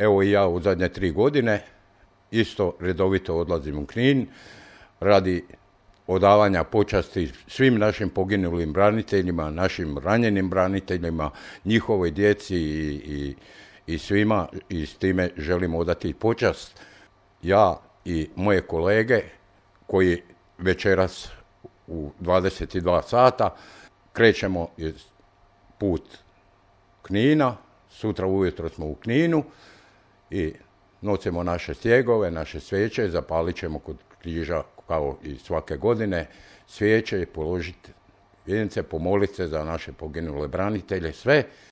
evo i ja u zadnje 3 godine isto redovito odlazim u Knin radi odavanja počasti svim našim poginulim braniteljima, našim ranjenim braniteljima, njihovoj djeci i svima, i s time želimo odati počast. Ja i moje kolege koji večeras u 22 sata krećemo put Knina, sutra ujutro smo u Kninu i nosimo naše stjegove, naše svijeće, zapalit ćemo kod križa kao i svake godine svijeće, položiti vijence, pomoliti se za naše poginule branitelje, sve.